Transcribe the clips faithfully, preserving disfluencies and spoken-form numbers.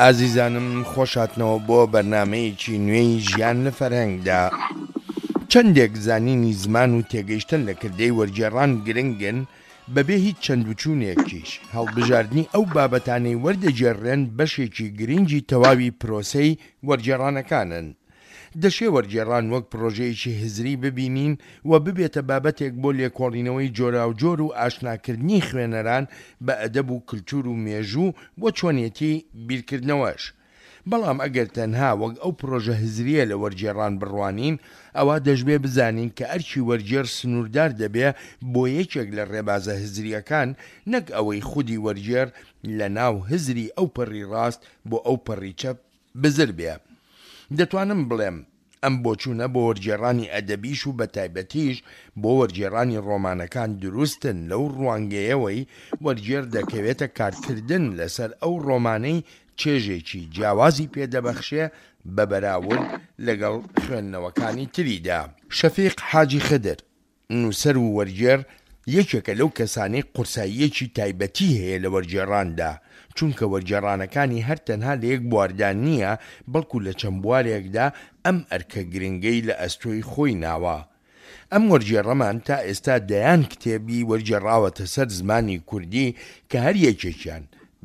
ئازیزانم خۆشهاتنەوە بۆ بەرنامەیەکی نوێی ژیان لە فەرهەنگدا. چەندێک زانینی زمان و تێگەیشتن لە کردەی وەرگێڕان گرنگن، بەبێ هیچ چەند و چوونێکیش هەڵبژاردنی ئەو بابەتانەی وەردەگێڕرێن بەشێکی گرنگی تەواوی پرۆسەی وەرگێڕانەکانن. دەشێ وەرگێڕان وەک پرۆژەیەکی هزری ببینین و ببێتە بابەتێک بۆ لێکۆڵینەوەی جۆراوجۆر و ئاشناکردنی خوێنەران بە ئەدەب و کلتور و مێژوو و چۆنێتی بیرکردنەوەش. بەڵام ئەگەر تەنها وەک ئەو پرۆژە هزرییە لە وەرگێڕان بڕوانین، ئەوا دەشبێ بزانین کە ئەرکی وەرگێڕ سنووردار دەبێ بۆ یەکێک لە ڕێبازە هزرییەکان، نەک ئەوەی خودی وەرگێڕ لە ناو هزری ئەو پەڕی ڕاست بۆ ئەو پەڕی چەپ بزر بێ. دەتوانم بڵێم ئەم بۆچوونە بۆ وەرگێڕانی ئەدەبیش و بەتایبەتیش بۆ وەرگێڕانی ڕۆمانەکان دروستن لەو ڕوانگەیەوەی وەرگێڕ دەکەوێتە کارکردن لەسەر ئەو ڕۆمانەی چێژێکی جیاوازی پێ دەبەخشێ بە بەراورد لەگەڵ خوێندنەوەکانی تریدا. شەفیق حاجی خدر، نووسەر و وەرگێڕ یەکێکە لەو کەسانەی قورساییەکی تایبەتی هەیە لە وەرگێڕاندا، چونکە وەرگێڕانەکانی هەر تەنها لە یەک بواردا نییە، بەڵکو لە چەند بوارێکدا ئەم ئەرکە گرنگەی لە ئەستۆی خۆی ناوە. ئەم وەرگێڕەمان تا ئێستا دەیان کتێبی وەرگێڕاوەتە سەر زمانی کوردی کە هەر یەکێکیان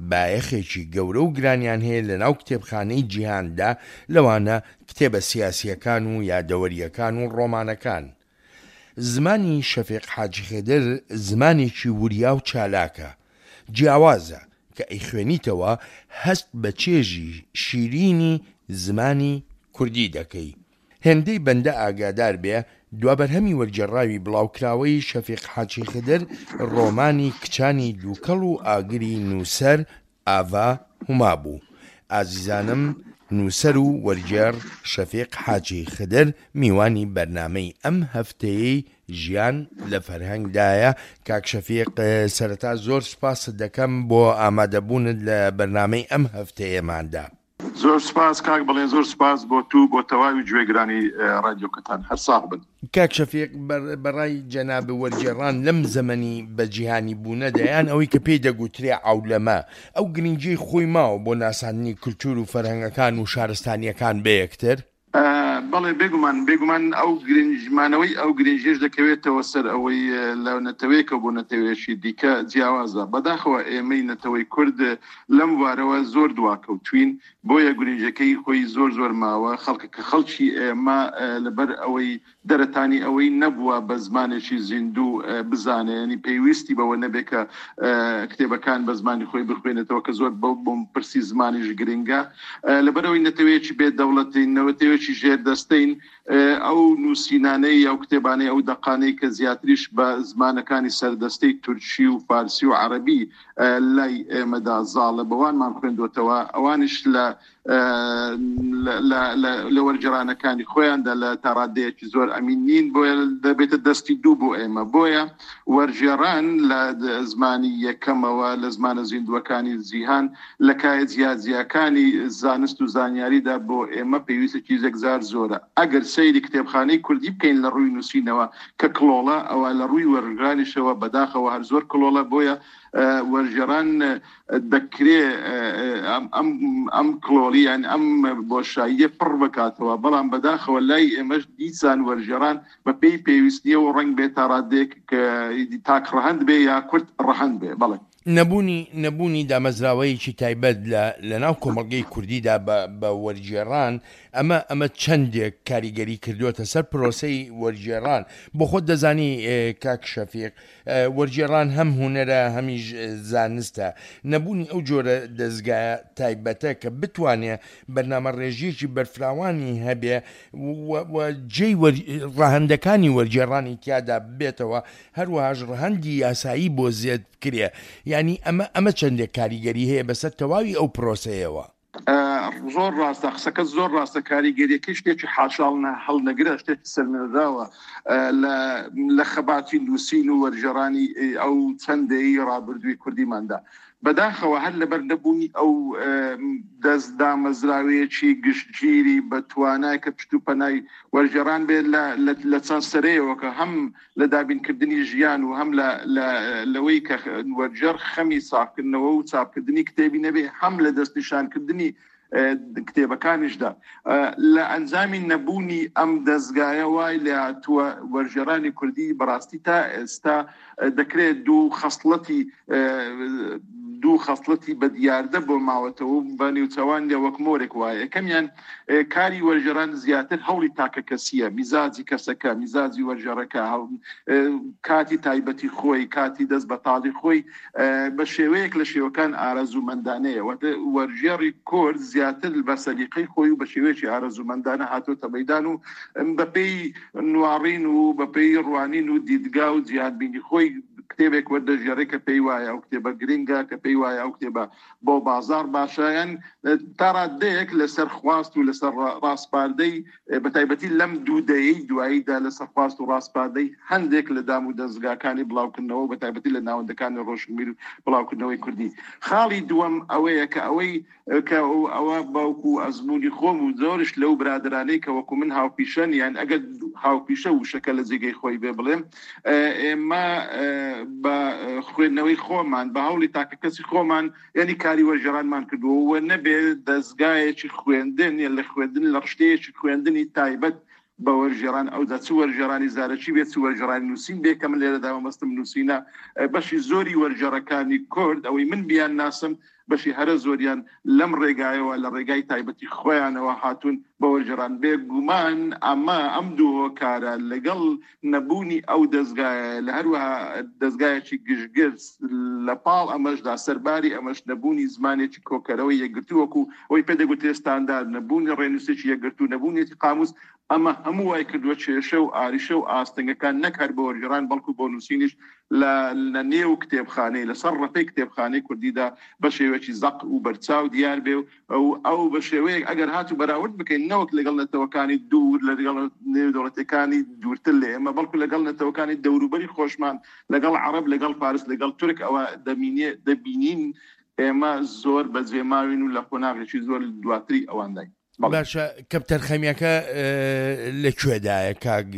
بایەخێکی گەورە و گرانیان هەیە لەناو کتێبخانەی جیهاندا، لەوانە کتێبە سیاسییەکان و یادەوەرییەکان و ڕۆمانەکان. زمانی شەفیق حاجی خدر زمانێکی وریا و چالاکە، جیاوازە، کە ئەیخوێنیتەوە هەست بە چێژی شیرینی زمانی کوردی دەکەی. هێندەی بەندە ئاگادار بێ، دوابەرهەمی وەرگێڕاوی بڵاوکراوەی شەفیق حاجی خدر ڕۆمانی کچانی دووکەڵ و ئاگری نووسەر ئاڤا هوما بوو. ئازیزانم نووسەر و وەرگێڕ شەفیق حاجی خدر میوانی بەرنامەی ئەم هەفتەیەی ژیان لە فەرهەنگدایە. کاک شەفیق سەرەتا زۆر سوپاست دەکەم بۆ ئامادەبوونت لە بەرنامەی ئەم هەفتەیەماندا. زۆر سوپاس کاک بەڵێن، زۆر سوپاس بۆ تو بۆ تەواوی گوێگرانی ڕادیۆکەتان، هەر ساغ بن. کاک شەفیق، بەڕای جەناب وەرگێڕان لەم زەمەنی بە جیهانی بوونەدا، یان ئەوەی کە پێی دەگوترێ عەولەمە، ئەو گرنگیەی خۆی ماوە بۆ ناساندنی کلتور و فەرهەنگەکان و شارستانیەکان بەیەکتر؟ بەڵێ بێگومان، بێگومان ئەو گرنجمانەوەی ئەو گرنگیش دەکەوێتەوە سەر ئەوەی لە نەتەوەیەکەوە بۆ نەتەوەیەکی دیکە جیاوازە. بەداخەوە ئێمەی نەتەوەی کورد لەم وارەوە زۆر دواکەوتوین، بۆیە گرنگەکەی خۆی زۆر زۆر ماوە. خەڵکە کە خەڵکی ئێمە لەبەر ئەوەی دەرەتانی ئەوەی نەبووە بە زمانێکی زیندوو بزانێ، ینی پێویستی بەوە نەبێت کە کتێبەکان بە زمانی خۆی بخوێنێتەوە کە زۆر بەو بۆم پرسی زمانیش گرنگە. لەبەرەوەی نەتەوەیەکی بێ دەوڵەتین، نەتەوەیەکی ژێردەستەین، ئەو نووسینانەی ئەو کتێبانەی ئەو دەقانەی کە زیاتریش بە زمانەکانی سەردەستەی تورکی و فارسی و عەرەبی لای ئێمەدا زاڵە، بەوانمان خوێندوتەوە، ئەوانیش لە لە وەرگێڕانەکانی خۆیاندا لە تاڕادەیەکی زۆر ئەمین نین، بۆیە دەبێتە دەستی دوو بۆ ئێمە. بۆیە وەرگێڕان لە زمانی یەکەمەوە لە زمانە زیندووەکانی جیهان لە کایە جیاجیاکانی زانست و زانیاریدا بۆ ئێمە پێویستێکی یەکجار زۆرە. ئەگەر سەیری کتێبخانەی کوردی بکەین لە ڕووی نووسینەوە کە کڵۆڵە، ئەوە لە ڕووی وەرگێڕانیشەوە بەداخەوە هەر زۆر کڵۆڵە. بۆیە وەرگێڕان دەکرێ ئەم ئەم کڵۆڵی یان ئەم بۆشاییە پڕ بکاتەوە، بەڵام بەداخەوە لای ئێمەش دیسان وەرگێڕان بە پێی پێویستیەوە و ڕەنگ بێت تا ڕادەیەک تاک ڕەهەند بێ یا کورت ڕەهەند بێ. بەڵێ نەبوونی نەبوونی دامەزراوەیەکی تایبەت لە لەناو کۆمەڵگەی کوردیدا بە وەرگێڕان، ئەمە ئەمە چەندێک کاریگەری کردووەتە سەر پرۆسەی وەرگێڕان. بۆ خۆت دەزانی کاک شەفیق، وەرگێڕان هەم هونەرە هەمیش زانستە. نەبوونی ئەو جۆرە دەزگایە تایبەتە کە بتوانێ بەرنامە ڕێژیەکی بەرفراوانی هەبێ و جێی ڕەهەندەکانی وەرگێڕانی تیادا ببێتەوە، هەروەهاش ڕەهەندی یاسایی بۆ زێد بکرێ، یعنی ئەمە ئەمە چەندێک کاریگەری هەیە بەسەر تەواوی ئەو پرۆسەیەوە؟ زۆر ڕاستە، قسەکە زۆر ڕاستە. کاریگەریەکەی شتێکی حاشاڵ هەڵنەگرە، شتێکی سەلمێنراوە لە خەباتی نووسین و وەرگێڕانی ئەو چەندەی ڕابردووی کوردیماندا. بەداخەوە هەر لەبەر نەبوونی ئەو دەست دامەزراوەیەکی گشتگیری بە توانای کە پشت و پەنای وەرگێڕان بێت لە چەند سەرەیەوە کە هەم لە دابینکردنی ژیان و هەم لەوەی کە وەرگێڕ خەمی ساغکردنەوە و چاپکردنی کتێبی نەبێ، هەم لە دەستنیشانکردنی کتێبەکانیشدا. لە ئەنجامی نەبوونی ئەم دەستگایە وای لە هاتووە وەرگێڕانی کوردی بەڕاستی تا ئێستا دەکرێت دوو خەسڵەتی دوو خەسڵەتی بە دیاردە بۆ ماوەتەوە بە نێوچەوان لە وەک مۆرێک وایە. یەکەمیان کاری وەرگێڕان زیاتر هەوڵی تاکە کەسیە، میزاجی کەسەکە، میزاجی وەرگێڕەکە، کاتی تایبەتی خۆی، کاتی دەست بەتاڵی خۆی بە شێوەیەک لە شێوەکان ئارەزوومەندانەیە. وەرگێڕی کورد زیاتر بە سەلیقەی خۆی و بە شێوەیەکی ئارەزوومەندانە هاتۆتە مەیدان و بەپێی نواڕین و بەپێی ڕوانین و دیدگا و جیهانبینی خۆی کتێبێک وەردەژێڕێ کە پێی وایە ئەو کتێبە گرنگە، کە پێی وایە ئەو کتێبە بۆ بازار باشایان تا ڕادەیەک لەسەر خواست و لەسەر ڕاسپاردەی بە تایبەتی لەم دوو دەیەی دواییدا لەسەر خواست و ڕاسپاردەی هەندێک لە دام و دەستگاکانی بڵاوکردنەوە بە تایبەتی لە ناوەندەکانی ڕۆشنبیر و بڵاوکردنەوەی کوردی. خاڵی دووەم ئەوەیە کە ئەوەی کە ئەوە باوکو ئەزمموی خۆم و زۆرش لەو برادرانەی کە وەکو من هاوپیشەن، یان ئەگەر هاوپیشە وشەکە لە جێگەی خۆی بێ بڵێم، ئێمە بە خوێندنەوەی خۆمان بە هەوڵی تاکە کەسی خۆمان یعنی کاری وەرگێڕانمان کردووە و نەبێ دەستگایەکی خوێندن یان لە خوێندن لە ڕشتەیەکی خوێندنی تایبەت بە وەرگێڕان، ئەودا چ وەرگێڕانی زارەکی بێت چ وەرگێڕانی نووسین بێ کە من لێرەدا مەبەستم نووسینە، بەشی زۆری وەرگێڕەکانی کورد ئەوەی من بیان ناسم بەشی هەرە زۆریان لەم ڕێگایەوە لە ڕێگای تایبەتی خۆیانەوە هاتوون بە وەرگێڕان. بێگومان ئەمە ئەم دوو هۆکارە لەگەڵ نەبوونی ئەو دەستگایە لە هەروەها دەستگایەکی گشتگر لە پاڵ ئەمەشدا سەرباری ئەمەش نەبوونی زمانێکی کۆکەرەوەی یەکگرتوو وەکو ئەوەی پێ دەگوترێت ستاندارد، نەبوونی ڕێنووسێکی یەکگرتوو، نەبوونیەتی قاموس، ئەمە هەموو وای کردووە کێشە و ئاریشە و ئاستەنگەکان نەک هەر بۆ وەرگێڕان بەڵکو بۆ نووسینیش لە نێو کتێبخانەی لەسەر ڕەفەی کتێبخانەی کوردیدا بە شێوەیەکی زەق و بەرچاو دیار بێ و ئەو بە شێوەیەک ئەگەر هاتوو بەراورد بکەین نەوەک لەگەڵ نەتەوەکانی دوور لەگەڵ نێودەوڵەتەکانی دوورتر لە ئێمە بەڵکو لەگەڵ نەتەوەکانی دەوروبەری خۆشمان لەگەڵ عەرەب لەگەڵ فارس لەگەڵ تورک ئەوە دەبینین ئێمە زۆر بەجێماوین و لە قۆناغێکی زۆر دواتری ئەوانداین. باشە کەمتەرخەمیەکە لەکوێدایە کاک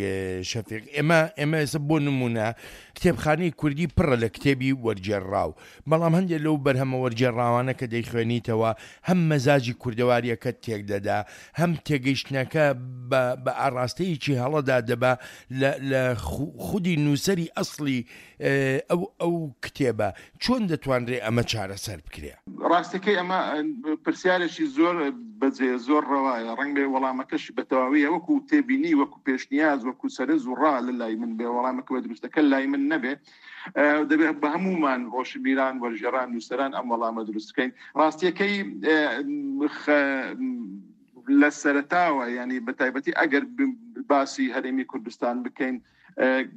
شەفیق؟ ئێمە ئێمە ئێستا بۆ نمونە کتێبخانەی کوردی پڕە لە کتێبی وەرگێڕاو، بەڵام هەندێک لەو بەرهەمە وەرگێڕاوانە کە دەیخوێنیتەوە هەم مەزاجی کوردەواریەکە تێک دەدا، هەم تێگەیشتنەکە بە ئاراستەیەکی هەڵەدا دەبا لە خودی نووسەری ئەسڵی ئەو ئەو کتێبە. چۆن دەتوانرێ ئەمە چارەسەر بکرێ؟ ڕاستەکەی ئەمە پرسیارێکی زۆر بەجێ زۆر ڕەوایە، ڕەنگ بێ وەڵامەکەش بە تەواویە وەکو تێبینی وەکو پێشنیاز وەکو سەرنج و ڕا لە لای من بێ، وەڵامەکە بە دروستەکە لای من نەبێ، دەبێت بە هەمومان ڕۆشنبیران وەرگێڕان نووسەران ئەم وەڵامە دروست بکەین. ڕاستیەکەی لە سەرەتاوە ینی بە تایبەتی ئەگەر باسی هەرێمی کوردستان بکەین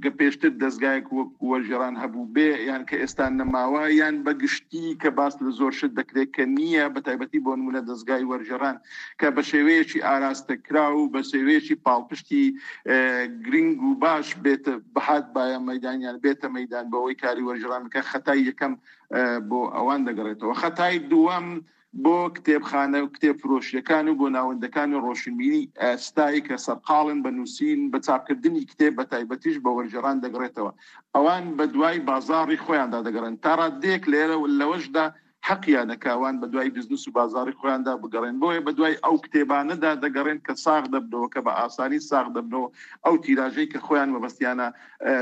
کە پێشتر دەستگایەک وەک وەرگێڕان هەبوو بێ یان کە ئێستا نەماوە، یان بە گشتی کە باس لە زۆر شت دەکرێت کە نییە، بە تایبەتی بۆ نمونە دەستگای وەرگێڕان کە بە شێوەیەکی ئاراستەکرا و بە شێوەیەکی پاڵپشتی گرنگ و باش بێتە بەهات باە مەدانیان بێتە مەدان بەوەی کاری وەرگێڕان بکە، خەتای یەکەم بۆ ئەوان دەگەڕێتەوە. خەتای دووەم بۆ کتێبخانە و کتێب فرۆشیەکان و بۆ ناوەندەکانی ڕۆشنبیری ئێستایی کە سەرقاڵن بە نووسین بە چاپکردنی کتێب بە تایبەتیش بە وەرگێڕان دەگەڕێتەوە. ئەوان بە دوای بازاڕی خۆیاندا دەگەڕێن تا ڕادەیەک لێرە لەوەشدا حەقیانە کە ئەوان بە دوای بزنس و بازاڕی خۆیاندا بگەڕێن، بۆیە بە دوای ئەو کتێبانەدا دەگەڕێن کە ساغ دەبنەوە، کە بە ئاسانی ساغ دەبنەوە، ئەو تیراژەی کە خۆیان مەبەستیانە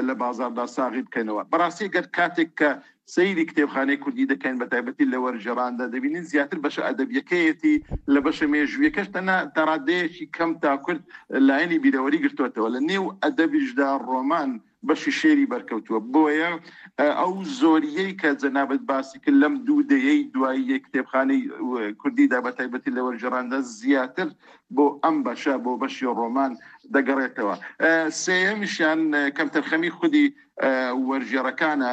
لە بازاردا ساغی بکەنەوە. بەڕاستی گەر کاتێک کە سەیری کتێبخانەی کوردی دەکەین بە تایبەتی لە وەرگێڕاندا دەبینین زیاتر بەشە ئەدەبیەکەیەتی لە بەشە مێژوویەکەش تەنها تا ڕادەیەکی کەم تا کورد لایەنی بیرەوەری گرتووەتەوە. لە نێو ئەدەبیشدا ڕۆمان بەشی شێری بەرکەوتووە، بۆیە ئەو زۆریەی کە جەنابەت باسی کرد لەم دوو دەیەی دوایی کتێبخانەی کوردیدا بە تایبەتی لە وەرگێڕاندا زیاتر بۆ ئەم بەشە بۆ بەشی ڕۆمان دەگەڕێتەوە. سێیەمیشیان کەمتەرخەمی خودی وەرگێڕەکانە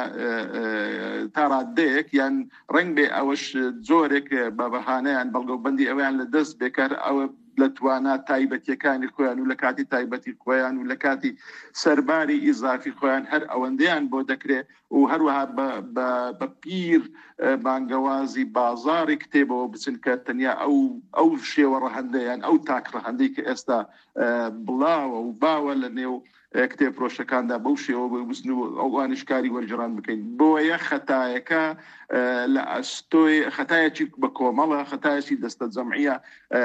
تا ڕادەیەک، یان ڕەنگ بێ ئەوەش جۆرێک بە بەهانەیان بەڵگەوبەندی ئەویان لە دەست بێکار ئەوە لە توانا تایبەتیەکانی خۆیان و لە کاتی تایبەتی خۆیان و لە کاتی سەرباری ئیزافی خۆیان هەر ئەوەندەیان بۆ دەکرێت و هەروەها بە پیر بانگەوازی بازاری کتێبەوە بچن کە تەنیا ئەو ئەو شێوە ڕەهەندەیان ئەو تاک ڕەهەندەی کە ئێستا بڵاوە و باوە لە نێو کتێب فرۆشەکاندا بەو شێوە بزن و ئەوانیش کاری وەرگێڕان بکەین. بۆیە خەتایەکە لە ئەستۆی خەتایەکی بە کۆمەڵە، خەتایەکی دەستە جەمعیە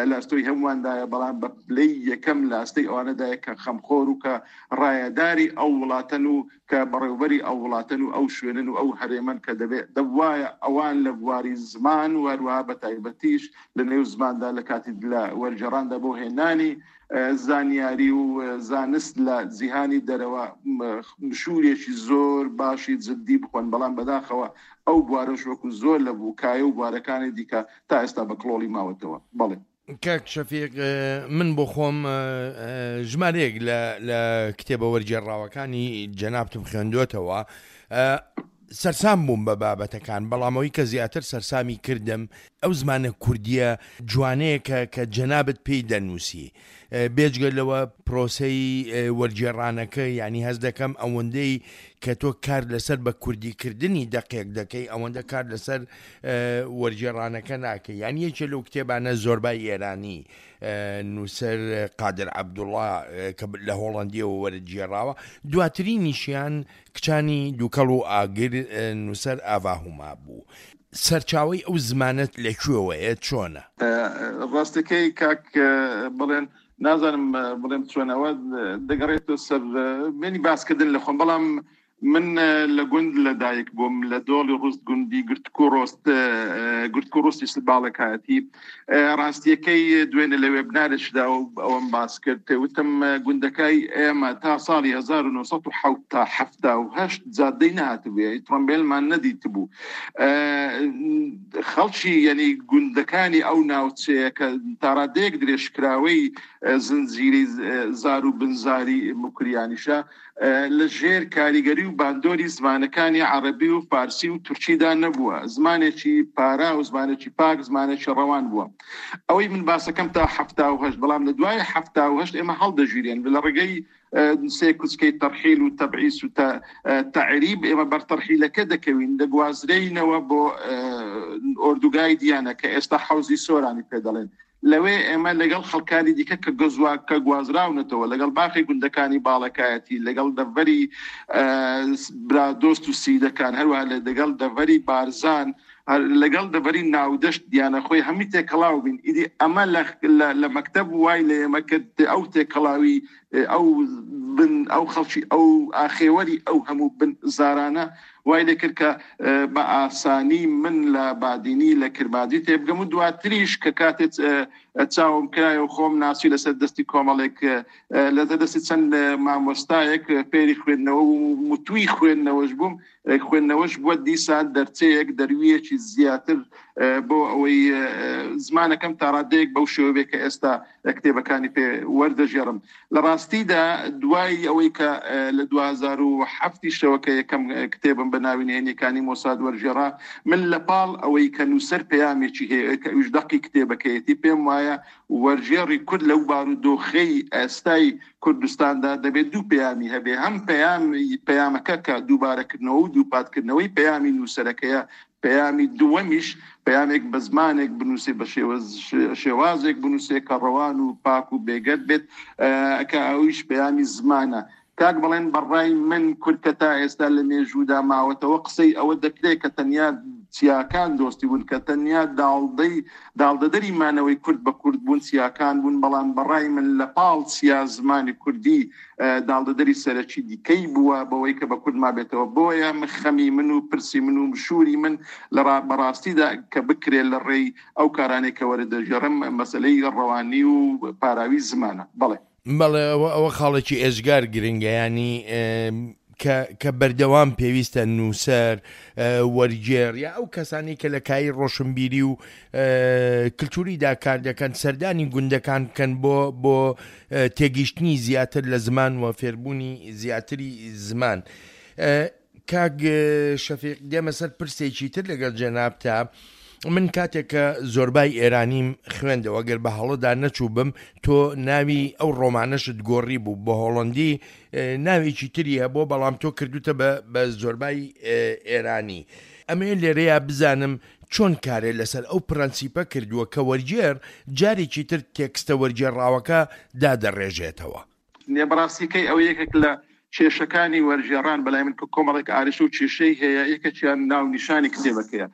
لە ئەستۆی هەموواندایە، بەڵام بە پلەی یەکەم لە ئەستەی ئەوانەدایە کە خەمخۆر و کە ڕایەداری ئەو وڵاتەن و کە بەڕێوبەری ئەو وڵاتەن و ئەو شوێنن و ئەو هەرێمەن کە دەبێت دەبوایە ئەوان لە بواری زمان و هەروەها بە تایبەتیش لە نێو زماندا لە کاتی لە وەرگێڕاندا بۆ هێنانی زانیاری و زانست لە جیهانی دەرەوە مشوورێکی زۆر باشی جدی بخۆن، بەڵام بەداخەوە ئەو بوارەش وەکو زۆر لە بووکایە و بوارەکانی دیکە تا ئێستا بە کڵۆڵی ماوەتەوە. بەڵێ کاک شەفیق، من بۆ خۆم ژمارەیەک لە کتێبە وەرگێڕاوەکانی جەنابتم خوێندوێتەوە، سەرسام بووم بە بابەتەکان، بەڵامەوەی کە زیاتر سەرسامی کردم ئەو زمانە کوردیە جوانەیە کە کە جەنابت پێی دەنووسی. بێجگە لەوە پرۆسەی وەرگێڕانەکە، یعنی هەست دەکەم ئەوەندەی کە تۆ کار لەسەر بە کوردیکردنی دەقێک دەکەی ئەوەندە کار لەسەر وەرگێڕانەکە ناکەی. یعنی یەکێ لەو کتێبانە زۆربای ئێرانی نووسەر قادر عەبدوڵڵا کە لە هۆڵەندیەوە وەرگێڕاوە، دواترینیشیان کچانی دووکەڵ و ئاگر نووسەر ئاڤاهوما بوو. سەرچاوەی ئەو زمانەت لەکوێوەیە، چۆنە؟ ڕاستەکەی کاک بڵێن نازانم بڵێم چۆنەوە دەگەڕێتەوە سەر منی باسکردن لە خۆم، بەڵام من لە گوند لەدایک بووم لە دۆڵی ڕوست گوندی گرتک و ڕۆست گرتک و ڕۆستی باڵەکایەتی. ڕاستیەکەی دوێنێ لە وێبنارێکدا ئەوەم باس کرد، وتم گوندەکەی ئێمە تا ساڵی هەزار و نۆ سەد و حەفتا و هەشت جادەی نەهاتبوو، ترۆمبیلمان نەدیتبوو. خەڵکی یعنی گوندەکانی ئەو ناوچەیە کە تاڕادەیەک درێژکراوەی زنجیرەی زار و بنزاری مکریانیشە لە ژێر کاریگەری و باندۆری زمانەکانی عەرەبی و فارسی و تورکیدا نەبووە، زمانێکی پارا و زمانێکی پاک، زمانێکی ڕەوان بووە. ئەوەی من باسەکەم تا حەفتا و هەشت، بەڵام لە دوای حەفتا و هەشت ئێمە هەڵدەژیرێن لە ڕێگەی سێ کوچکەی تەرحیل و تەبعیس و تەعریب ئێمە بەر تەرحیلەکە دەکەوین، دەگوازرێینەوە بۆ ئۆردوگای دیانە کە ئێستا حەوزی سۆرانی پێ دەڵێن. لەوێ ئێمە لەگەڵ خەڵکانی دیکە کە گەزوا کە گوازراونەتەوە، لەگەڵ باقی گوندەکانی باڵەکایەتی، لەگەڵ دەڤەری برادۆست و سیدەکان، هەروەها لەگەڵ دەڤەری بارزان، لەگەڵ دەڤەری ناودەشت دیانە خۆی هەمی تێکەڵاو بین. ئیدی ئەمە لە مەکتەب وای لە ئێمە کرد ئەو تێکەڵاوی ئەو بن ئەو خەڵکی ئەو ئاخێوەری ئەو هەموو بن زارانە وای لێ کرد کە بە ئاسانی من لە بادینی لە کرمانجی تێبگەم و دواتریش کە کاتێک چاوم کرایە و خۆم ناسی لەسەر دەستی کۆمەڵێک لەسەر دەستی چەند مامۆستایەک فێری خوێندنەوە و متووی خوێندنەوەش بووم، خوێندنەوەش بووە دیسان دەرچەیەک دەرویەکی زیاتر بۆ ئەوەی زمانەکەم تاڕادەیەک بەو شێوە بێ کە ئێستا کتێبەکانی پێ وەردەژێڕم. لە ڕاستیدا دوای ئەوەی کە لە دوو هەزار و حەفتی شەوە کە یەکەم کتێبم بە ناوی نهێنیەکانی مۆساد وەرگێڕا، من لە پاڵ ئەوەی کە نووسەر پەیامێکی هەیە کە ئەویش دەقی کتێبەکەیەتی، پێم وایە وەرگێڕی کورد لەو بارودۆخەی ئێستای کوردستاندا دەبێت دوو پەیامی هەبێ، هەم پەیامی پەیامەکە کە دووبارەکردنەوە و دووپاتکردنەوەی پەیامی نووسەرەکەیە، پەیامی دووەمیش پەیامێک بە زمانێک بنووسێ، بە شێوازێک بنووسێ کە ڕەوان و پاک و بێگەرد بێت، کە ئەویش پەیامی زمانە. کاک بڵێن بەڕای من کورد کە تا ئێستا لە مێژوودا ماوەتەوە قسەی ئەوە دەکرێت کە تەنیا چیاکان دۆستی بوون، کە تەنیا داڵدەی داڵدەدەری مانەوەی کورد بە کورد بوون چیاکان بوون، بەڵام بەڕای من لە پاڵ چیا زمانی کوردی داڵدەدەری سەرەکی دیکەی بووە بەوەی کە بە کورد مابێتەوە. بۆیە خەمی من و پرسی من و مشووری من لە بەڕاستیدا کە بکرێت لە ڕێی ئەو کارانێک کە وەرە دەژێڕم مەسلەی ڕەوانی و پاراوی زمانە. بەڵێ بەڵێ ئەوە ئەوە خاڵێکی ئێجگار گرنگە، ینی کە بەردەوام پێویستە نووسەر، وەرگێڕ یا ئەو کەسانی کە لە کایی ڕۆشنبیری و کللتوریدا کار دەکەن سەردانی گوندەکان بکەن بۆ بۆ تێگەیشتنی زیاتر لە زمان و فێربوونی زیاتری زمان. کاک شەفیق، دێمە سەر پرسێکی تر لەگەڵ جەنابتا. من کاتێک کە زۆربای ئێرانیم خوێندەوە گەر بە هەڵەدا نەچوو بم تۆ ناوی ئەو ڕۆمانەشت گۆڕی بوو بە هۆڵندی ناوێکی تری هەبوو بەڵام تۆ کردوتە بە زۆربای ئێرانی. ئەمێ لێرەیە بزانم چۆن کارێ لەسەر ئەو پرەنسیپە کردووە کە وەرگێڕ جارێکی تر تێکستە وەرگێڕاوەکە دادەڕێژێتەوە. بەڕاستیەکەی ئەو یەکێک لە کێشەکانی وەرگێڕان بەلای من کە کۆمەڵێک ئارش و کێشەی هەیە، یەکێکیان ناونیشانی کتێبەکەیە.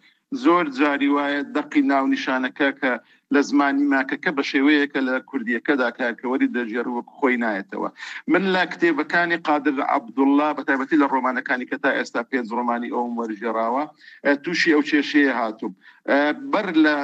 زۆر جاری وایە دەقی ناونیشانەکە کە لە زمانی ماکەکە بە شێوەیەکە لە کوردیەکەدا کارکەوەری دەژێر وەک خۆی نایەتەوە. من لە کتێبەکانی قادر عەبدوڵڵا بە تایبەتی لە ڕۆمانەکانی کە تا ئێستا پێنج ڕۆمانی ئەوم وەرگێڕاوە تووشی ئەو کێشەیە هاتووم. بەر لە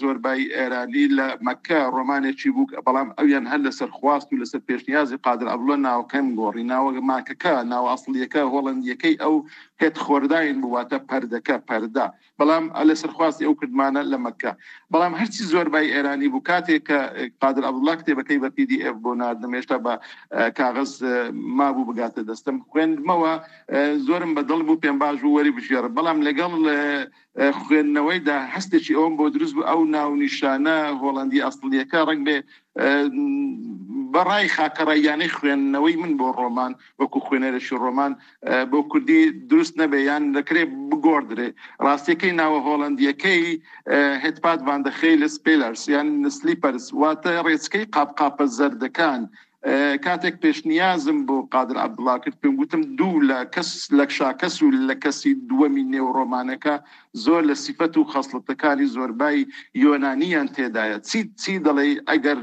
زۆربای ئێرانی لە مەکە ڕۆمانێکی بوو، بەڵام ئەویان هەر لەسەر خواست و لەسەر پێشنیازی قادر عەبدوڵڵا ناوەکەم گۆڕی. ناوە ماکەکە، ناوە ئەسڵیەکە هۆڵندیەکەی ئەو هێت خۆرداین بوو، واتە پەردەکە پەردە، بەڵام لەسەر خواستی ئەو کردمانە لە مەکە. بەڵام هەرچی زۆربای ئێرانی بوو کاتێک کە قادر عەبدوڵڵا کتێبەکەی بە پی دی ئێف بۆ ناردم، هێشتا بە کاغەز مابوو بگاتە دەستم، خوێندمەوە زۆرم بەدڵ بوو، پێم باش بوو وەری بژێڕم. بەڵام لەگەڵ خوێندنەوەیدا هەستێکی ئەوم بۆ دروست بوو ئەو ناونیشانە هۆڵندی ئەسڵیەکە ڕەنگ بێ بەڕای خاکەڕاییانەی خوێندنەوەی من بۆ ڕۆمان وەکو خوێنەرێکی ڕۆمان بۆ کوردی دروست نەبێ یان دەکرێت بگۆڕدرێ. ڕاستیەکەی ناوە هۆڵندیەکەی Het pad van de gele spelers یان slippers، واتە ڕێچکەی قاپقاپە زەردەکان. کاتێک پێشنیازم بۆ قادر عەبدوڵڵا کرد پێم گوتم دوو لە کەس لە شاکەس و لە کەسی دووەمی نێو ڕۆمانەکە زۆر لە سیفەت و خەسڵەتەکانی زۆربای یۆنانیان تێدایە. چی چی دەڵێ ئەگەر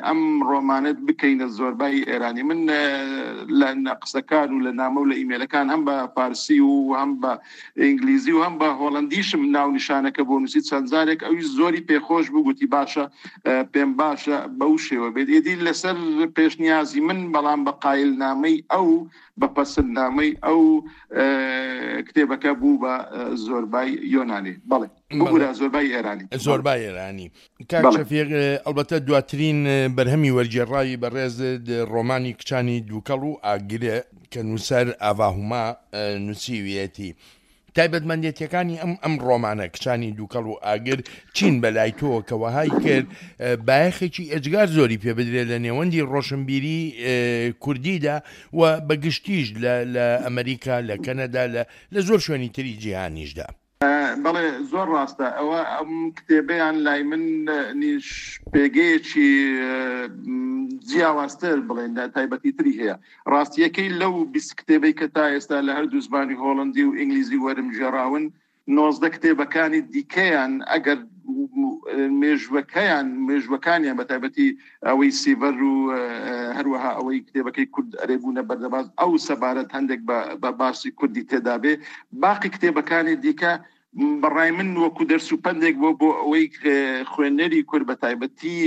ئەم ڕۆمانەت بکەینە زۆربای ئێرانی؟ من لە قسەکان و لە نامە و لە ئیمێلەکان هەم بە فارسی و هەم بە ئینگلیزی و هەم بە هۆڵندیشم ناونیشانەکە بۆ نووسی چەند جارێک ئەوی زۆری پێخۆش بوو، گوتی باشە پێم باشە بەو شێوە بێت. ئێدی لەسەر پێشنیازی من بەڵام بە قایلنامەی ئەو بە پەسەندنامەی ئەو کتێبەکە بوو بە زۆربای یۆنانی. بەڵێ بگورە زۆربای ئێرانی. زۆربای ئێرانی. کاک شەفیق، ئەلبەتە دواترین بەرهەمی وەرگێڕاوی بەڕێز ڕۆمانی کچانی دووکەڵ و ئاگرێ کە نووسەر ئاڤاهوما نووسیویەتی. تایبەتمەندێتیەکانی ئەم ئەم ڕۆمانە کچانی دووکەڵ و ئاگر چین بەلای تۆ کە وەهای کرد بایەخێکی ئێجگار زۆری پێ بدرێت لە نێوەندی ڕۆشنبیری کوردیدا و بەگشتیش لە ئەمریکا، لە کەنەدا، لە زۆر شوێنی تری جیهانیشدا؟ بەڵێ زۆر ڕاستە. ئەوە ئەم کتێبەیان لای من نیش پێگەیەکی جیاوازتر بڵێن تایبەتی تری هەیە. ڕاستیەکەی لەو بیست کتێبەی کە تا ئێستا لە هەردوو زمانی هۆڵندی و ئینگلیزی وەرم ژێراون، نۆزدە کتێبەکانی دیکەیان ئەگەر مێژوەکەیان مێژوەکانیان بە تایبەتی ئەوەی سیڤەر و هەروەها ئەوەی کتێبەکەی کورد ئەرێبوونە بەردەباز ئەو سەبارەت هەندێک بە باسی کوردی تێدا بێ، باقی کتێبەکانی دیکە بەڕای من وەکو دەرس و پەندێک بۆ بۆ ئەوەی خوێنەری کورد بە تایبەتی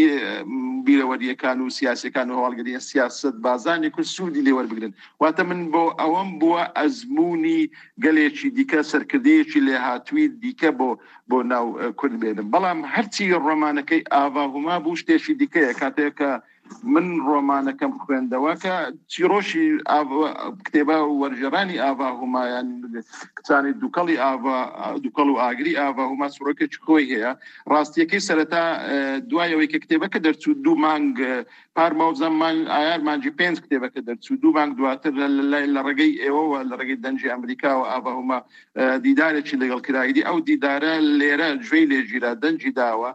بیرەوەریەکان و سیاسەکان و هەواڵگریە سیاست بازانی کورد سوودی لێوەربگرن. واتە من بۆ ئەوەم بووە ئەزمموی گەلێکی دیکە، سەرکردەیەکی لێهاتووی دیکە بۆ بۆ ناو کورد بێنم. بەڵام هەرچی ڕۆمانەکەی ئاڤاهوما بوو شتێکی دیکەیە. کاتێک کە من ڕۆمانەکەم خوێندەوە کە چیرۆشی کتێبە وەرگێڕانی ئاڤاهومایان کچانی دووکەڵی ئاڤا دووکەڵ و ئاگری ئاڤاهوما چیرۆکێکی خۆی هەیە. ڕاستیەکەی سەرەتا دوای ئەوەی کە کتێبەکە دەرچوو دوو مانگ پار ماوزەم مانگ ئایار مانگی پێنج کتێبەکە دەرچوو، دوو مانگ دواتر لە ڕێگەی ئێوەوە لە ڕێگەی دەنگی ئەمریکاوە ئاڤاهوما دیدارێکی لەگەڵ کرایدی. ئەو دیدارە لێرە گوێی لێگیرا، دەنگی داوە،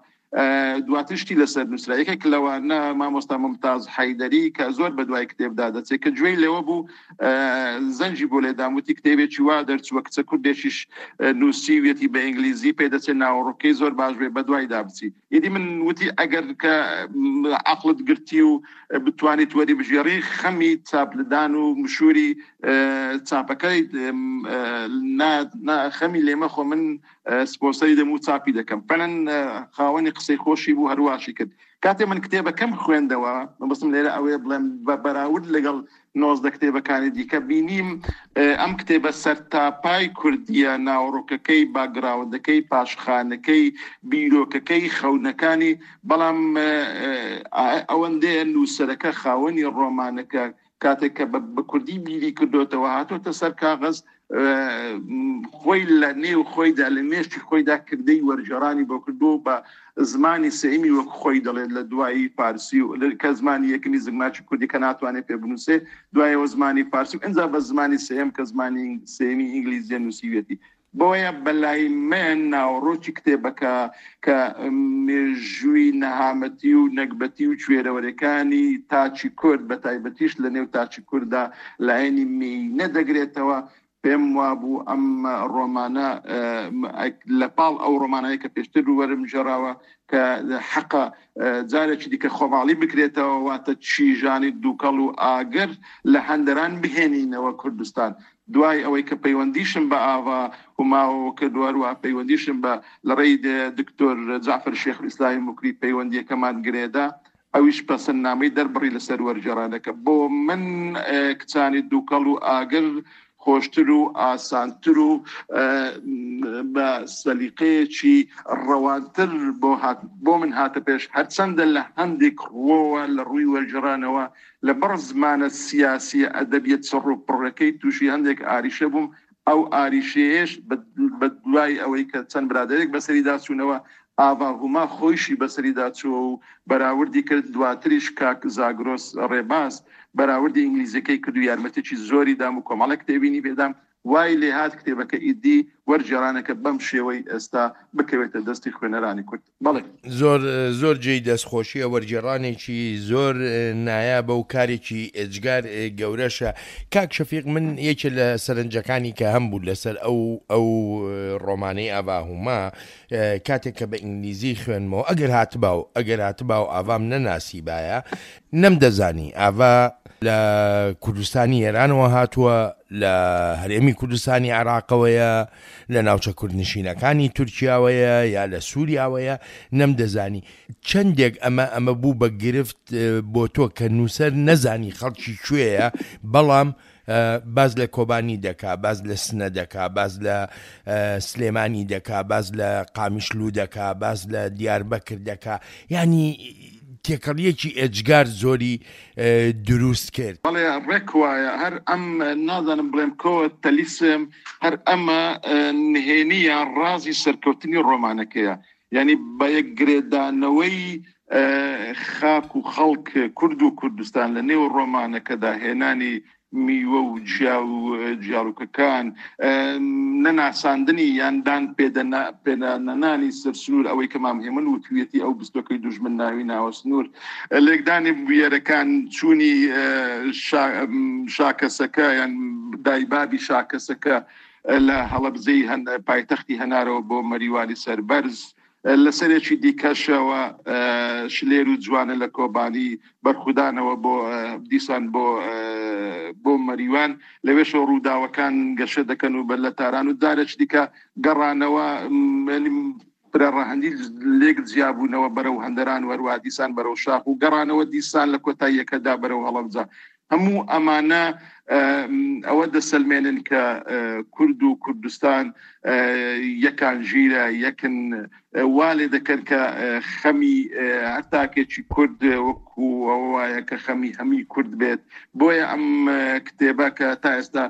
دواتر شتی لەسەر نووسرا. یەکێک لەوانە مامۆستا ممتاز حەیدەری کە زۆر بە دوای کتێبدا دەچێت کە گوێی لێوە بوو زەنجی بۆ لێدام، وتی کتێبێکی وا دەرچووە کچە کوردێکیش نووسیویەتی بە ئینگلیزی، پێ دەچێت ناوەڕۆکەی زۆر باش بێ بە دوایدا بچی. ئیدی من وتی ئەگەر کە عەقڵت گرتی و بتوانیت وەری بژێڕی خەمی چاپلدان و مشووری چاپەکەی خەمی لێمەخۆ، من سپۆنسەری دەم و چاپی دەکەم. فعلاً خاوەنی قسەی خۆشی بوو، هەرواشی کرد. کاتێ من کتێبەکەم خوێندەوە، مەبەستم لێرە ئەوەیە بڵێم بە بەراورد لەگەڵ نۆزدە کتێبەکانی دیکە بینیم ئەم کتێبە سەرتاپای کوردیە، ناوەڕۆکەکەی، باگراوندەکەی، پاشخانەکەی، بیرۆکەکەی، خەونەکانی، بەڵام ئەوەندەیە نووسەرەکە خاوەنی ڕۆمانەکە کاتێک کە بە کوردی بیری کردوتەوە هاتۆتە سەر کاغەز، خۆی لە نێو خۆیدا لە مێشکی خۆیدا کردەی وەرگێڕانی بۆ کردو بە زمانی سێمی وەک خۆی دەڵێت لە دوایی فارسی و کە زمانی یەکەمی زگماکی کوردی کە ناتوانێت پێ بنووسێ، دوایەوە زمانی فارسی و ئینجا بە زمانی سێم کە زمانی سێمی ئینگلیزیە نووسیوێتی. بۆیە بەلای من ناوەڕۆکی کتێبەکە کە مێژووی نەهامەتی و نەگبەتی و کوێرەوەرەکانی تاچی کورد بە تایبەتیش لە نێو تاچی کورددا لایەنی مێینە دەگرێتەوە، پێم وابوو ئەم ڕۆمانە لە پاڵ ئەو ڕۆمانەیە کە پێشتر وەرم ژێراوە کە حەقە جارێکی دیکە خۆماڵی بکرێتەوە، واتە چیژانی دووکەڵ و ئاگر لە هەندەران بهێنینەوە کوردستان. دوای ئەوەی کە پەیوەندیشم بە ئاڤا هوماوە کردووە، هەروەها پەیوەندیشم بە لە ڕێی دکتۆر جەعفەر شێخ ئیسلامی موکری پەیوەندیەکەمان گرێدا، ئەویش پەسەندنامەی دەربڕی لەسەر وەرگێڕانەکە. بۆ من کچانی دووکەڵ و ئاگر خۆشتر و ئاسانتر و بە سەلیقەیەکی ڕەوانتر بۆ من هاتە پێش، هەرچەندە لە هەندێک ڕووەوە لە ڕووی وەرگێڕانەوە لە بەر زمانە سیاسیە ئەدەبیە چڕ و پڕەکەی تووشی هەندێک ئاریشە بووم. ئەو ئاریشەیەش بە دوای ئەوەی کە چەند برادێک بەسەریدا چوونەوە، ئاڤا هوما خۆیشی بەسەریدا چووە و بەراوردی کرد. دواتریش کاک زاگرۆس ڕێباز بەراوردی ئینگلیزیەکەی کرد و یارمەتێکی زۆری دام و کۆمەڵێک کتێبینی پێدام. وای لێهات کتێبەکە ئیدی وەرگێڕانەکە بەم شێوەی ئێستا بکەوێتە دەستی خوێنەرانی کورد. بەڵێ زۆر زۆر جێی دەستخۆشیە، وەرگێڕانێکی زۆر نایابە و کارێکی ئێجگار گەورەشە. کاک شەفیق، من یەکێ لە سەرنجەکانی کە هەم بوو لەسەر ئەو ئەو ڕۆمانەی ئاڤا هوما، کاتێک کە بە ئینگلیزی خوێنمەوە، ئەگەر هاتباو ئەگەر هاتباو ئاڤام نەناسیبایە، نەمدەزانی ئاڤا لە کوردستانی ئێرانەوە هاتووە، لە هەرێمی کوردستانی عێراقەوەیە، لە ناوچە کوردنشینەکانی تورکیاوەیە یا لە سووریاوەیە، نەمدەزانی. چەندێک ئەمە ئەمە بوو بە گرفت بۆ تۆ کە نووسەر نەزانی خەڵکی کوێیە، بەڵام باز لە کۆبانی دەکا، باز لە سنە دەکا، باز لە سلێمانی دەکا، باز لە قامیشلو دەکا، باز لە دیاربەکر دەکا، یعنی تێکەڵیەکی ئێجگار زۆری دروست کرد. بەڵێ ڕێک وایە. هەر ئەم نازانم بڵێم کۆ تەلیسم، هەر ئەمە نهێنی یان ڕازی سەرکەوتنی ڕۆمانەکەیە، یعنی بە یەک گرێدانەوەی خاک و خەڵک کورد و کوردستان لە نێو ڕۆمانەکەدا، هێنانی میوە و جیا و جیاڵوکەکان، نەناساندنی یان دان پێدانەنانی سەر سنوور، ئەوەی کە مام هێمن وتویەتی ئەو بستۆکەی دوژمن ناوی ناوە سنوور، لێکدانی بویەرەکان، چوونی شاکەسەکە یان دایبابی شاکەسەکە لە هەڵەبجەی پایتەختی هەنارەوە بۆ مەریوانی سەربەرز، لەسەرێکی دیکەشەوە شلێر و جوانە لە کۆبانی بەرخودانەوە بۆ دیسان بۆ بۆ مەریوان، لەوێشەوە ڕووداوەکان گەشە دەکەن و بەر لە تاران و جارێکی دیکە گەڕانەوە پرەڕەهەندی لێک جیابوونەوە بەرەو هەندەران و هەروە دیسان بەرەو شاخ و گەڕانەوە دیسان لە کۆتاییەکەدا بەرەو هەڵەبجە. هەموو ئەمانە ئەوە دەسەلمێنن کە کورد و کوردستان یەکان ژیرە، یەکن وا لێ دەکەن کە خەمی هەر تاکێکی کورد وەکو ئەوە وایە کە خەمی هەمی کورد بێت. بۆیە ئەم کتێبە کە تا ئێستا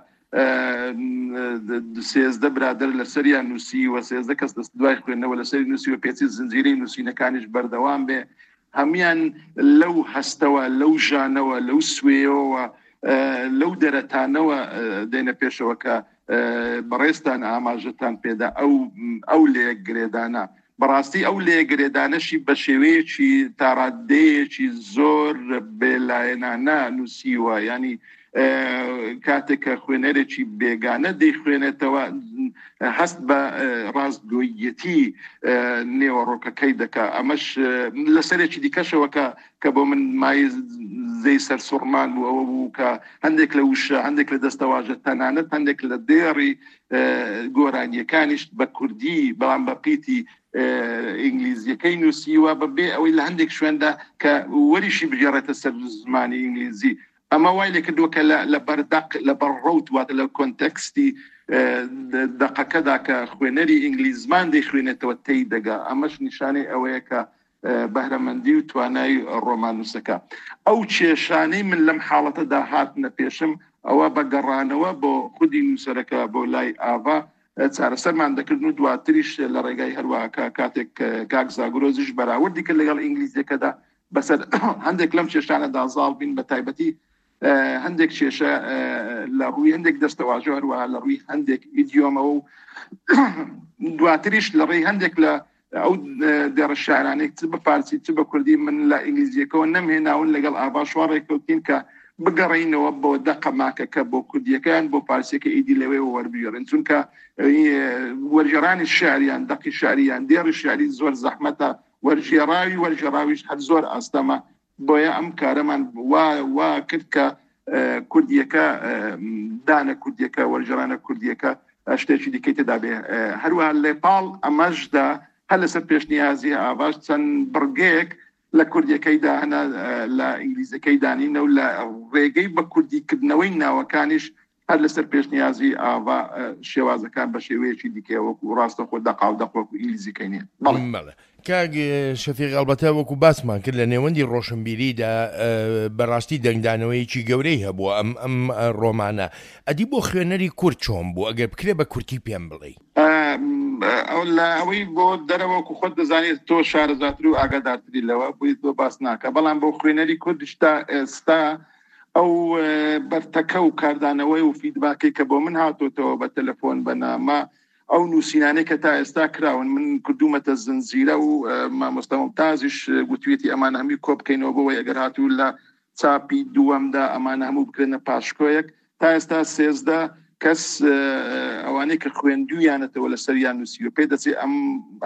سێزدە برادەر لەسەریان نووسی و سێزدە کەس دوای خوێندنەوە لەسەری نووسی و پێچی زنجیرەی نووسینەکانیش بەردەوام بێ، هەمیان لەو هەستەوە، لەو ژانەوە، لەو سوێیەوە، لەو دەرەتانەوە دێنە پێشەوە کە بەڕێزتان ئاماژەتان پێدا، ئەو ئەو لێگرێدانە. بەڕاستی ئەو لێگرێدانەشی بە شێوەیەکی تاڕادەیەکی زۆر بێلایەنانە نووسیوە، ینی کاتێک کە خوێنەرێکی بێگانە دەیخوێنێتەوە هەست بە ڕاستگۆیەتی نێوەڕۆکەکەی دەکا. ئەمەش لەسەرێکی دیکەشەوە کە کە بۆ من مای زەی سەرسوڕمان بوو ئەوە بوو کە هەندێک لە وشە، هەندێک لە دەستەواژە، تەنانەت هەندێک لە دێڕی گۆرانیەکانیش بە کوردی بەڵام بە پیتی ئینگلیزیەکەی نووسیوە، بەبێ ئەوەی لە هەندێک شوێندا کە وەریشی بگێڕێتە سەر زمانی ئینگلیزی. ئەمە وای لێکردووە کە لە بەردەق، لە بەرڕەوت، واتە لە کۆنتەکستی دەقەکەدا کە خوێنەری ئینگلیزمان دەیخوێنێتەوە تێی دەگا. ئەمەش نیشانەی ئەوەیە کە بەهرەمەندی و توانای ڕۆماننووسەکە. ئەو کێشانەی من لەم حاڵەتەدا هاتنە پێشم ئەوە بە گەڕانەوە بۆ خودی نووسەرەکە بۆ لای ئاڤا چارەسەرمان دەکردن و دواتریش لە ڕێگای هەروەها کاتێک کاک زاگرۆزیش بەراوردی کرد لەگەڵ ئینگلیزیەکەدا بەسەر هەندێک لەم کێشانەدا زاڵ بین، بە تایبەتی هەندێک کێشە لە ڕووی هەندێک دەستەواژە، هەروەها لە ڕووی هەندێک ئیدیۆمەوە و دواتریش لە ڕێی هەندێک لە ئەو دێڕە شاعرانێک چ بە فارسی چ بە کوردی من لە ئینگلیزیەکەوە نەمهێناون لەگەڵ ئاڤاش وا ڕێککەوتین کە بگەڕێینەوە بۆ دەقە ماکەکە بۆ کوردیەکەیان بۆ فارسیەکە ئیدی لەوێوە وەربگێڕن، چونکە وەرگێڕانی شعریان دەقی شعریان دێڕی شعری زۆر زەحمەتە، وەرگێڕاوی وەرگێڕاویش هەر زۆر ئاستەمە. بۆیە ئەم کارەمان وا وا کرد کە کوردیەکە دانە کوردیەکە وەرگێڕانە کوردیەکە شتێکی دیکەی تێدا بێ. هەروەها لێپاڵ ئەمەشدا هەر لەسەر پێشنیازی ئاڤاش چەند بڕگەیەک لە کوردیەکەیدا هەنا لە ئینگلیزیەکەی دانینە و لە ڕێگەی بە کوردیکردنەوەی ناوەکانیش هەر لەسەر پێشنیازی ئاڤا شێوازەکان بە شێوەیەکی دیکە وەکو ڕاستەخۆ دەقاو دەق وەکو ئینگلیزیەکەی نییە. بەڵێ کاک شەفیق، ئەلبەتە وەکو باسمان کرد لە نێوەندی ڕۆشنبیریدا بەڕاستی دەنگدانەوەیەکی گەورەی هەبووە ئەم ئەم ڕۆمانە. ئەدی بۆ خوێنەری کورد چۆن بوو؟ ئەگەر بکرێ بە کورتی پێم بڵێ. لە ئەوەی بۆ دەرەوە وەکو خۆت دەزانێت تۆ شارەزاتر و ئاگادارتری لەوە بۆی تۆ باس ناکە، بەڵام بۆ خوێنەری کوردیش تا ئێستا ئەو بەرتەکە و کاردانەوەی و فیدباکەی کە بۆ من هاتۆتەوە بە تەلەفۆن بە نامە، ئەو نووسینانەی کە تا ئێستا کراون من کردوومەتە زنجیرە و مامۆستا ممتازیش گوتوێتی ئەمانە هەمووی کۆ بکەینەوە بۆ ئەوەی ئەگەر هاتوو لە چاپی دووەمدا ئەمانە هەموو بکرێنە پاشکۆیەک. تا ئێستا سێزدە کەس ئەوانەی کە خوێندویانەتەوە لەسەریان نووسیوە، پێ دەچێت ئەم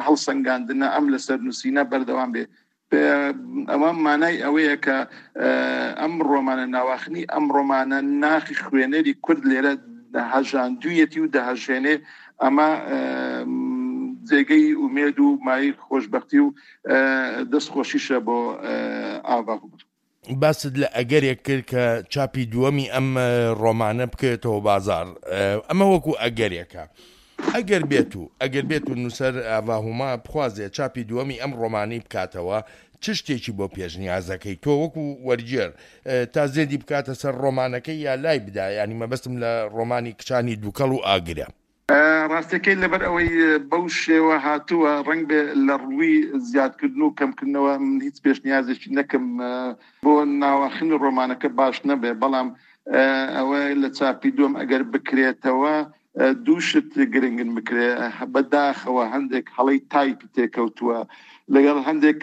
هەڵسەنگاندنە ئەم لەسەر نووسینە بەردەوام بێ. ئەوە مانای ئەوەیە کە ئەم ڕۆمانە ناواخنی ئەم ڕۆمانە ناخی خوێنەری کورد لێرە هەژاندوویەتی و دەهەژێنێ. ئەمە جێگەی ئومێد و مای خۆشببختی و دەستخۆشیشە بۆ ئاڤا. باست لە ئەگەرێک کرد کە چاپی دووەمی ئەم ڕۆمانە بکەوێتەوە بازار، ئەمە وەکو ئەگەرێکە. ئەگەر بێت و ئەگەر بێت و نووسەر ئاڤا هوما بخوازێ چاپی دووەمی ئەم ڕۆمانی بکاتەوە، چ شتێکی بۆ پێشنیازەکەی تۆ وەکو وەرگێر تا زێدی بکاتە سەر ڕۆمانەکەی یا لای بدا؟ ینی مەبەستم لە ڕۆمانی کچانی دووکەڵ و ئاگرە. ڕاستەکەی لەبەر ئەوەی بەو شێوە هاتووە ڕەنگ بێ لە ڕووی زیادکردن و کەمکردنەوە من هیچ پێشنیازێکی نەکەم بۆ ناواخنی ڕۆمانەکە باش نەبێ، بەڵام ئەوە لە چاپی دووەم ئەگەر بکرێتەوە دوو شت گرنگن بکرێ. بەداخەوە هەندێک هەڵەی تایپی تێکەوتووە لەگەڵ هەندێک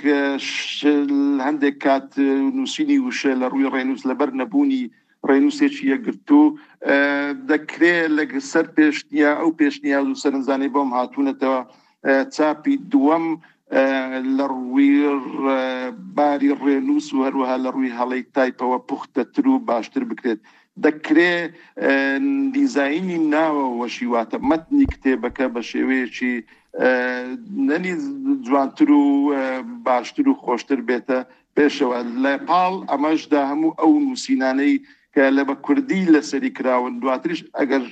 هەندێک کات نووسینی وشە لە ڕووی ڕێنووس لەبەر نەبوونی ڕێنووسێکی یەکگرتوو دەکرێت لەسەر پێشنیا ئەو پێشنیاز و سەرنجانەی بۆم هاتوونەتەوە چاپی دووەم لە ڕووی باری ڕێنووس و هەروەها لە ڕووی هەڵەی تایپەوە پوختەتر و باشتر بکرێت. دەکرێت دیزاینی ناوەوەشی واتە مەتنی کتێبەکە بە شێوەیەکی نەنی جوانتر و باشتر و خۆشتر بێتە پێشەوە. لە پاڵ ئەمەشدا هەموو ئەو نووسینانەی کە لە بە کوردی لەسەری کراون دواتریش ئەگەر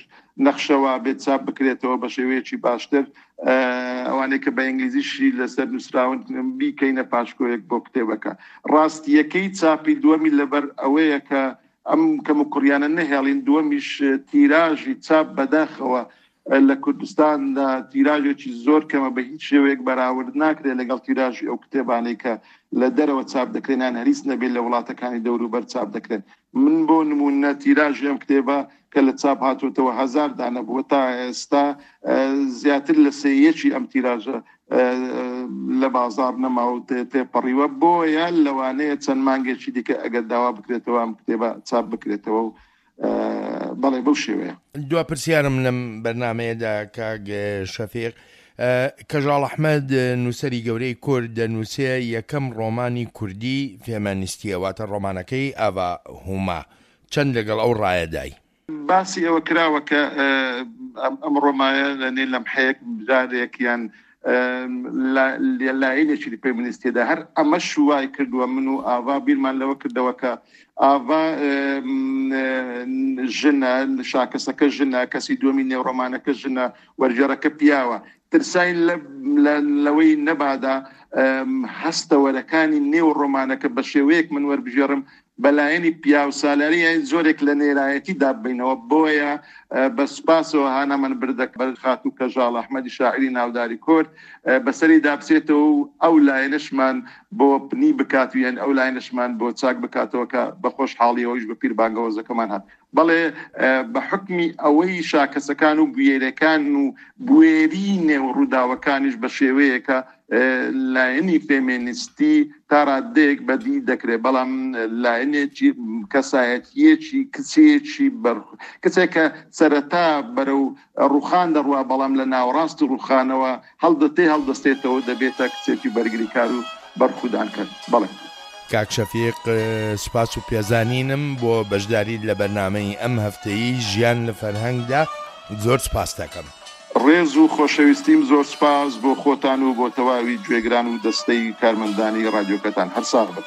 نەخشەوە بێت چاپ بکرێتەوە بە شێوەیەکی باشتر، ئەوانەی کە بە ئینگلیزیشی لەسەر نووسراون بیکەینە پاشکۆیەک بۆ کتێبەکە. ڕاستیەکەی چاپی دووەمی لەبەر ئەوەیە کە ئەم کەم و کوڕیانە نەهێڵین، دووەمیش تیراژی چاپ بەداخەوە لە کوردستاندا تیراژێکی زۆر کەمە، بە هیچ شێوەیەک بەراورد ناکرێت لەگەڵ تیراژی ئەو کتێبانەی کە لە دەرەوە چاپ دەکرێن یان هەریس نەبێت لە وڵاتەکانی دەوروبەر چاپ دەکرێن. من بۆ نمونە تیراژی ئەم کتێبە کە لە چاپ هاتووەتەوە هەزار دانە بووە، تا ئێستا زیاتر لە سێیەکی ئەم تیراژە لە بازار نەما و تێپەڕیوە. بۆیە لەوانەیە چەند مانگێکی دیکە ئەگەر داوا بکرێتەوە ئەم کتێبە چاپ بکرێتەوە و بەڵێ بەو شێوەیە. دوا پرسیارم لەم بەرنمەیەدا کاک شەفیق، کەژاڵ ئەحمەد نووسەری گەورەی کورد دەنووسێ یەکەم ڕۆمانی کوردی فێمەنیستیە، واتە ڕۆمانەکەی ئاڤا هوما، چەند لەگەڵ ئەو ڕایەدای؟ باسی ئەوە کراوە کە ئەم ڕۆمایە لە نێ لەمحەیەک جارێک یان لایەنێکی فێمینیستیدا هەر ئەمەش وای کردووە. من و ئاڤا بیرمان لەوە کردەوە کە ئاڤا ژنە، شاکەسەکە ژنە، کەسی دووەمی نێوڕۆمانەکە ژنە، وەرگێڕەکە پیاوە. ترساین لەوەی نەبادا هەستەوەرەکانی نێو ڕۆمانەکە بە شێوەیەک من وەربژێڕم بەلایەنی پیاوسالاری زۆرێک لە نێرایەتی داببینەوە. بۆیە بە سوپاسەوە هانا من بردە بەر خاتوو کەژاڵ ئەحمەدی شاعری ناوداری کورد بەسەری دابچێتەوە و ئەو لایەنەشمان بۆ پنی بکات و یان ئەو لایەنەشمان بۆ چاک بکاتەوە کە بە خۆشحاڵیەوەیش بە پیر بانگەوەزەکەمان هات. بەڵێ بە حکمی ئەوەی شاکەسەکان و بوێرەکان و بوێری نێو ڕووداوەکانیش بە شێوەیەکە لایەنی فێمێنیستی تا ڕادەیەک بەدی دەکرێت، بەڵام لایەنێکی کەسایەتیەکی کچێکی بەر کچێکە سەرەتا بەرەو ڕوخان دەڕوا، بەڵام لە ناوەڕاستی ڕوخانەوە هەڵدەتێ هەڵدەستێتەوە دەبێتە کچێکی بەرگریکار و بەرخودان کرد. بەڵێ کاک شەفیق، سوپاس و پێزانینم بۆ بەشداریت لە بەرنامەی ئەم هەفتەیی ژیان لە فەرهەنگدا زۆر سوپاس دەکەم. ڕێز و خۆشەویستیم زۆر سوپاس بۆ خۆتان و بۆ تەواوی گوێگران و دەستەی کارمەندانی ڕادیۆکەتان. هەر ساغ بن.